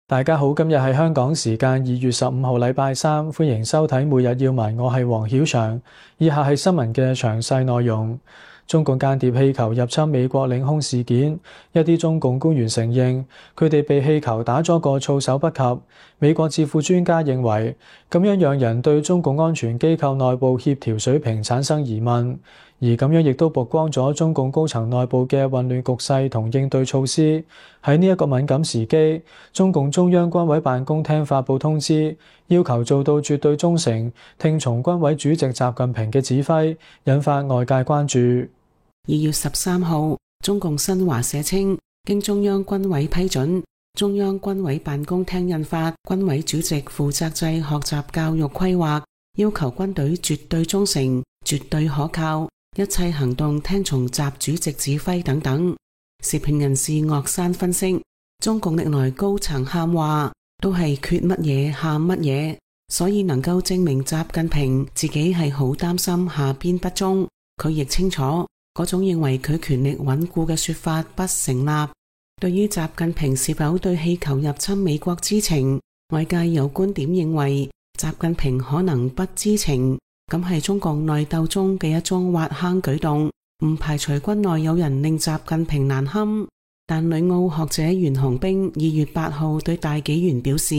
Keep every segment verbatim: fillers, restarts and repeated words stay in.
大家好，今日係香港時間二月十五號禮拜三，歡迎收睇每日要聞，我係黃曉翔。以下係新聞嘅詳細內容。中共間諜氣球入侵美國領空事件，一啲中共官員承認佢哋被氣球打咗個措手不及。美國智庫專家認為咁樣讓人對中共安全機構內部協調水平產生疑問，而咁樣亦都曝光咗中共高層內部嘅混亂局勢同應對措施。喺呢一個敏感時機，中共中央軍委辦公廳發布通知，要求做到絕對忠誠，聽從軍委主席習近平嘅指揮，引發外界關注。二月十三號，中共新華社稱，經中央軍委批准，中央軍委辦公廳印發《軍委主席負責制學習教育規劃》，要求軍隊絕對忠誠、絕對可靠，一切行動聽從習主席指揮等等。時評人士岳山分析，中共歷來高層喊話都係缺乜嘢喊乜嘢，所以能夠證明習近平自己係好擔心下邊不忠。佢亦清楚嗰種認為佢權力穩固嘅說法不成立。對於習近平是否對氣球入侵美國知情，外界有觀點認為習近平可能不知情，咁係中共內鬥中嘅一種挖坑舉動，唔排除軍內有人令習近平難堪。但旅澳學者袁紅冰二月八號對大紀元表示，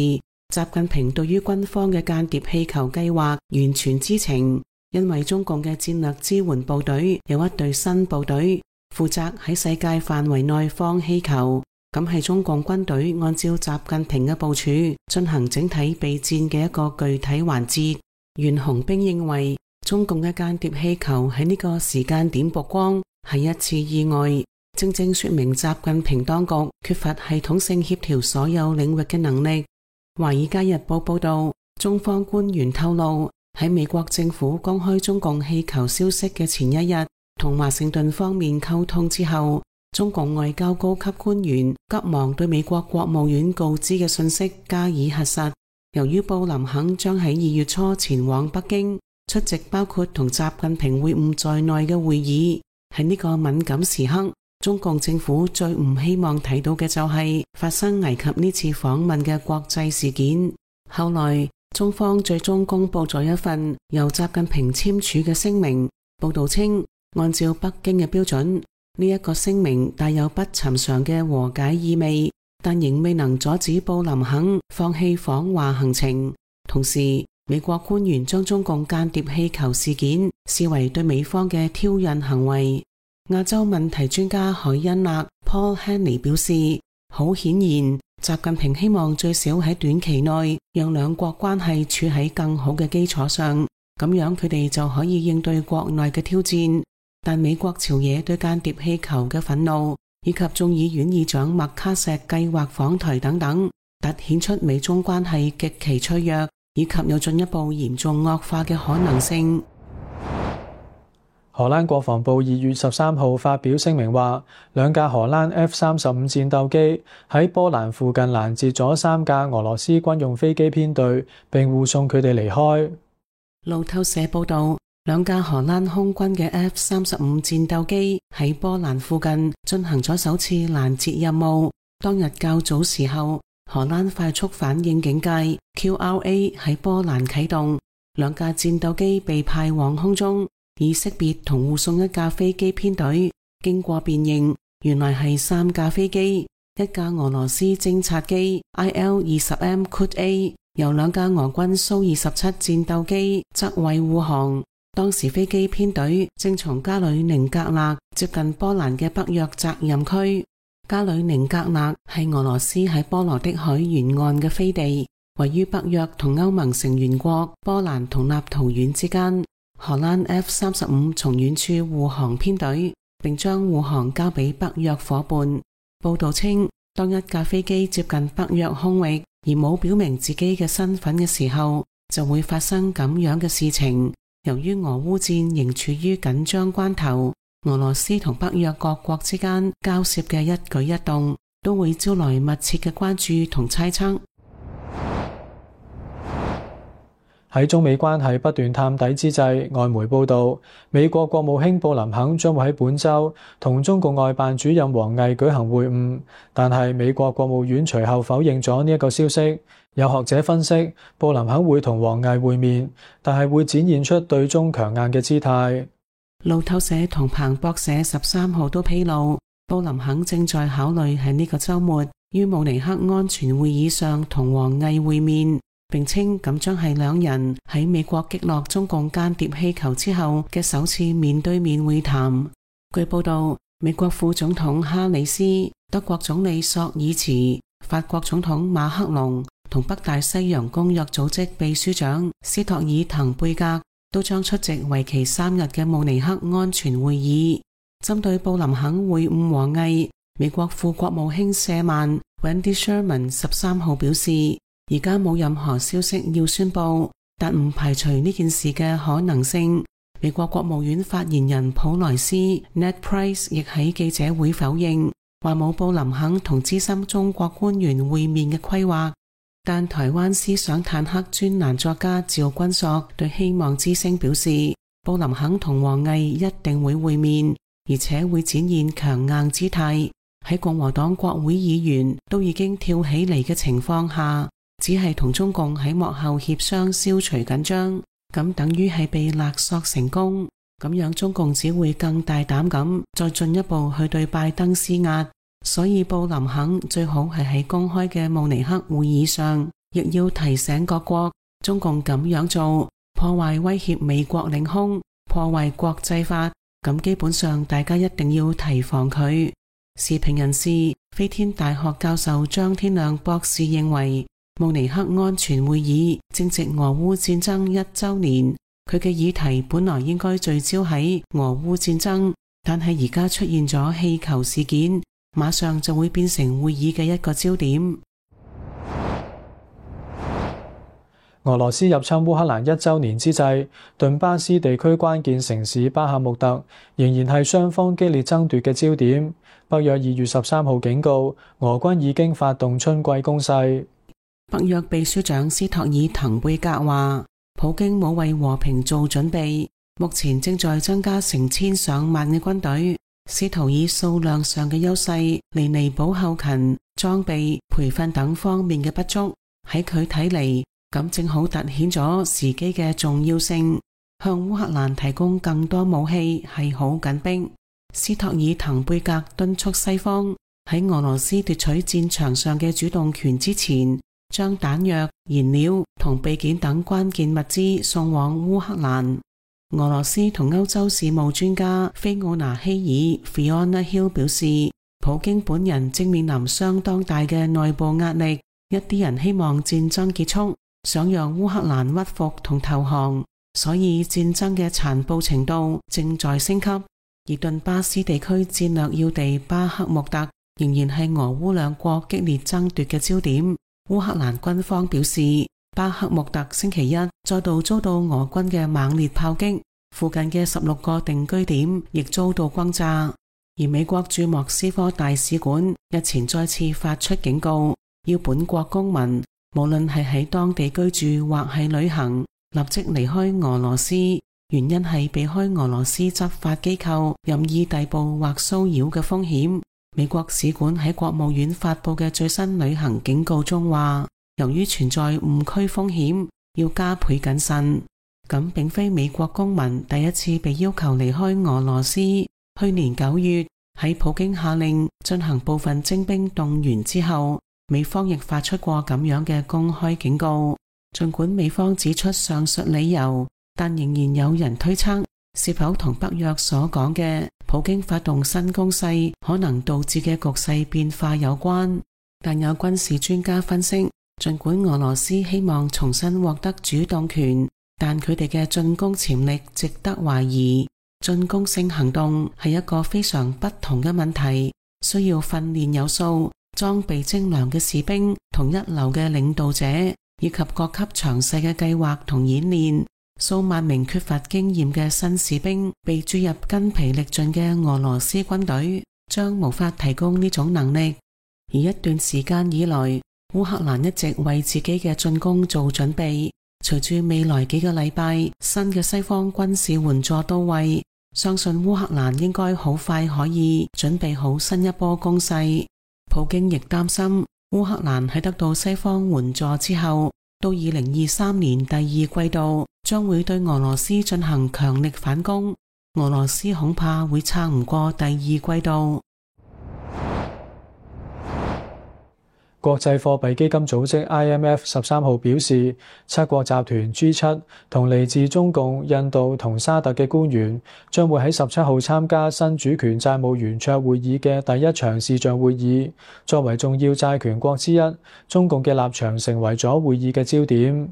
習近平對於軍方嘅間諜氣球計劃完全知情。因為中共嘅戰略支援部隊有一隊新部隊，負責喺世界範圍內放氣球，咁係中共軍隊按照習近平嘅部署進行整體備戰嘅一個具體環節。袁紅冰認為，中共嘅間諜氣球喺呢個時間點曝光係一次意外，正正說明習近平當局缺乏系統性協調所有領域嘅能力。華爾街日報報道，中方官員透露，喺美國政府公開中共氣球消息嘅前一日，同華盛頓方面溝通之後，中共外交高級官員急忙對美國國務院告知嘅信息加以核實。由於布林肯將喺二月初前往北京出席包括同習近平會晤在內嘅會議，喺呢個敏感時刻，中共政府最唔希望睇到嘅就係發生危及呢次訪問嘅國際事件。後來中方最終公布咗一份由習近平簽署嘅聲明，報道稱，按照北京嘅標準，呢一個聲明帶有不尋常嘅和解意味，但仍未能阻止布林肯放棄訪華行程。同時，美國官員將中共間諜氣球事件視為對美方嘅挑釁行為。亞洲問題專家海恩納 Paul Henley 表示，好顯然，習近平希望最少喺短期內讓兩國關係處喺更好嘅基礎上，咁樣佢哋就可以應對國內嘅挑戰。但美國朝野對間諜氣球嘅憤怒，以及眾議院議長麥卡錫計劃訪台等等，凸顯出美中關係極其脆弱，以及有進一步嚴重惡化嘅可能性。荷蘭國防部二月十三號發表聲明話，兩架荷蘭 F 三十五戰鬥機喺波蘭附近攔截咗三架俄羅斯軍用飛機編隊，並護送佢哋離開。路透社報道，兩架荷蘭空軍嘅 F 三十五戰鬥機喺波蘭附近進行咗首次攔截任務。當日較早時候，荷蘭快速反應警戒 Q R A 喺波蘭啟動，兩架戰鬥機被派往空中，以識別同護送一架飛機編隊。經過辨認，原來係三架飛機，一架俄羅斯偵察機 I L 二十 M Kud A， 由兩架俄軍蘇二十七戰鬥機側衛護航。當時飛機編隊正從加里寧格勒接近波蘭嘅北約責任區。加里寧格勒係俄羅斯喺波羅的海沿岸嘅飛地，位於北約同歐盟成員國波蘭同立陶宛之間。荷蘭 F 三十五從遠處護航編隊，並將護航交俾北約伙伴。報道稱，當一架飛機接近北約空域而冇表明自己嘅身份嘅時候，就會發生咁樣嘅事情。由於俄烏戰仍處於緊張關頭，俄羅斯同北約各國之間交涉嘅一舉一動都會招來密切嘅關注同猜測。喺中美關係不斷探底之際，外媒報道，美國國務卿布林肯將會喺本週同中共外辦主任王毅舉行會晤，但係美國國務院隨後否認咗呢一個消息。有學者分析，布林肯會同王毅會面，但係會展現出對中強硬嘅姿態。路透社同彭博社十三號都披露，布林肯正在考慮喺呢個週末於慕尼黑安全會議上同王毅會面。並稱咁將係兩人喺美國擊落中共間諜氣球之後嘅首次面對面會談。據報道，美國副總統哈里斯、德國總理朔爾茨、法國總統馬克龍同北大西洋公約組織秘書長斯托爾滕貝格都將出席為期三日嘅慕尼黑安全會議。針對布林肯會晤王毅，美國副國務卿舍曼 Wendy Sherman 十三號表示，而家冇任何消息要宣佈，但唔排除呢件事嘅可能性。美國國務院發言人普萊斯 Ned Price 亦喺記者會否認，話冇布林肯同資深中國官員會面嘅規劃。但台灣思想坦克專欄作家趙君朔對希望之聲表示，布林肯同王毅一定會會面，而且會展現強硬姿態。喺共和黨國會議員都已經跳起嚟嘅情況下，只係同中共喺幕後協商消除緊張，咁等於係被勒索成功。咁樣中共只會更大膽咁再進一步去對拜登施壓。所以布林肯最好係喺公開嘅慕尼黑會議上，亦要提醒各國，中共咁樣做破壞威脅美國領空，破壞國際法，咁基本上大家一定要提防佢。時評人士飛天大學教授張天亮博士認為，慕尼黑安全會議正值俄烏戰爭一週年，佢嘅議題本來應該聚焦喺俄烏戰爭，但係而家出現咗氣球事件，馬上就會變成會議嘅一個焦點。俄羅斯入侵烏克蘭一週年之際，頓巴斯地區關鍵城市巴赫穆特仍然係雙方激烈爭奪嘅焦點。北約二月十三號警告，俄軍已經發動春季攻勢。北約秘書長斯托爾滕貝格話，普京冇為和平做準備，目前正在增加成千上萬嘅軍隊，試圖以數量上嘅優勢嚟彌補後勤、裝備、培訓等方面嘅不足。喺佢睇嚟，咁正好凸顯咗時機嘅重要性，向烏克蘭提供更多武器係好緊迫。斯托爾滕貝格敦促西方喺俄羅斯奪取戰場上嘅主動權之前，將彈藥、燃料同備件等關鍵物資送往烏克蘭。俄羅斯同歐洲事務專家菲奧娜希爾 Fiona Hill 表示，普京本人正面臨相當大嘅內部壓力，一啲人希望戰爭結束，想讓烏克蘭屈服同投降，所以戰爭嘅殘暴程度正在升級。而頓巴斯地區戰略要地巴克穆特仍然係俄烏兩國激烈爭奪嘅焦點。烏克蘭軍方表示，巴克穆特星期一再度遭到俄軍嘅猛烈炮擊，附近嘅十六個定居點亦遭到轟炸。而美國駐莫斯科大使館日前再次發出警告，要本國公民無論係喺當地居住或係旅行，立即離開俄羅斯。原因係避開俄羅斯執法機構任意逮捕或騷擾嘅風險。美國使館喺國務院發佈嘅最新旅行警告中話，由於存在誤區風險，要加倍謹慎。咁並非美國公民第一次被要求離開俄羅斯。去年九月喺普京下令進行部分徵兵動員之後，美方亦發出過咁樣嘅公開警告。儘管美方指出上述理由，但仍然有人推測，是否同北約所講嘅普京發動新攻勢可能導致嘅局勢變化有關。但有軍事專家分析，儘管俄羅斯希望重新獲得主動權，但佢哋嘅進攻潛力值得懷疑。進攻性行動係一個非常不同嘅問題，需要訓練有素、裝備精良嘅士兵同一流嘅領導者，以及各級詳細嘅計劃同演練。數萬名缺乏經驗嘅新士兵被注入筋疲力盡嘅俄羅斯軍隊，將無法提供呢種能力。而一段時間以來，烏克蘭一直為自己嘅進攻做準備，隨住未來幾個禮拜新嘅西方軍事援助到位，相信烏克蘭應該好快可以準備好新一波攻勢。普京亦擔心烏克蘭喺得到西方援助之後，到二零二三年第二季度將會對俄羅斯進行強力反攻，俄羅斯恐怕會撐唔過第二季度。國際貨幣基金組織 I M F 十三號表示，七國集團 G 七 同嚟自中共、印度同沙特嘅官員將會喺十七號參加新主權債務圓桌會議嘅第一場視像會議。作為重要債權國之一，中共嘅立場成為咗會議嘅焦點。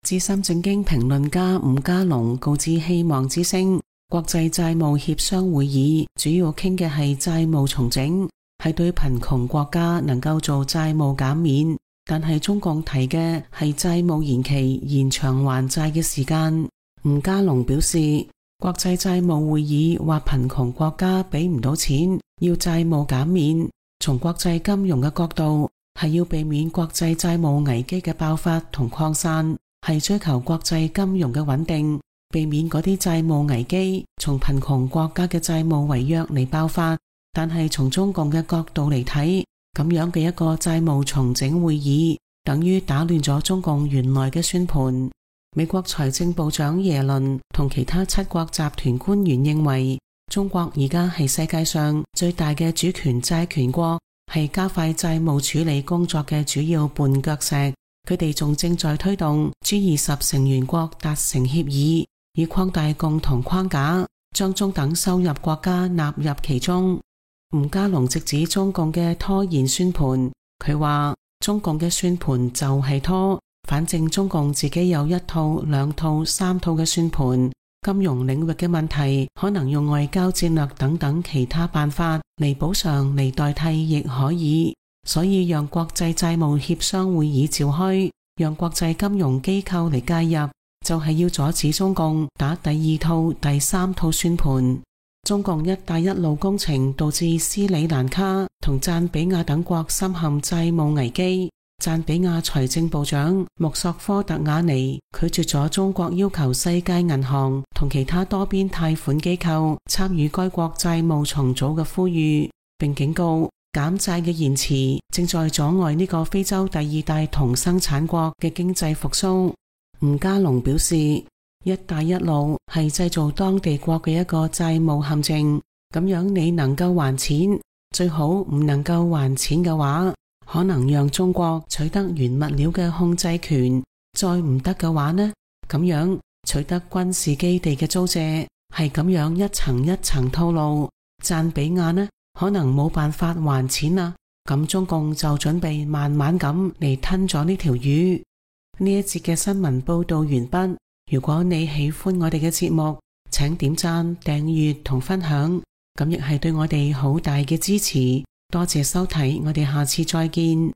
資深政經評論家伍家龍告知希望之聲，國際債務協商會議主要傾嘅係債務重整，係對貧窮國家能夠做債務減免，但係中共提嘅係債務延期，延長還債嘅時間。伍家龍表示，國際債務會議話貧窮國家俾唔到錢，要債務減免。從國際金融嘅角度，係要避免國際債務危機嘅爆發同擴散，係追求國際金融嘅穩定，避免嗰啲債務危機從貧窮國家嘅債務違約嚟爆發。但係從中共嘅角度嚟睇，咁樣嘅一個債務重整會議，等於打亂咗中共原來嘅算盤。美國財政部長耶倫同其他七國集團官員認為，中國而家係世界上最大嘅主權債權國，係加快債務處理工作嘅主要絆腳石。佢哋仲正在推動 G 二十成員國達成協議，以擴大共同框架，將中等收入國家納入其中。伍家龍直指中共嘅拖延算盤，佢話中共嘅算盤就係拖，反正中共自己有一套、兩套、三套嘅算盤。金融領域嘅問題可能用外交戰略等等其他辦法嚟補償嚟代替亦可以，所以讓國際債務協商會議召開，讓國際金融機構嚟介入，就係要阻止中共打第二套、第三套算盤。中共一帶一路工程導致斯里蘭卡同贊比亞等國深陷債務危機。贊比亞財政部長穆索科特瓦尼拒絕咗中國要求世界銀行同其他多邊貸款機構參與該國債務重組嘅呼籲，並警告減債嘅延遲正在阻礙呢個非洲第二大銅生產國嘅經濟復甦。伍家龍表示，一帶一路係製造當地國嘅一個債務陷阱，咁樣你能夠還錢，最好唔能夠還錢嘅話，可能讓中國取得原物料嘅控制權，再唔得嘅話呢，咁樣取得軍事基地嘅租借，係咁樣一層一層套路。贊比亞呢，可能冇辦法還錢啦，咁中共就準備慢慢咁嚟吞咗呢條魚。呢一節嘅新聞報道完畢。如果你喜歡我哋嘅節目，請點讚、訂閱同分享，咁亦係對我哋好大嘅支持。多謝收睇，我哋下次再見。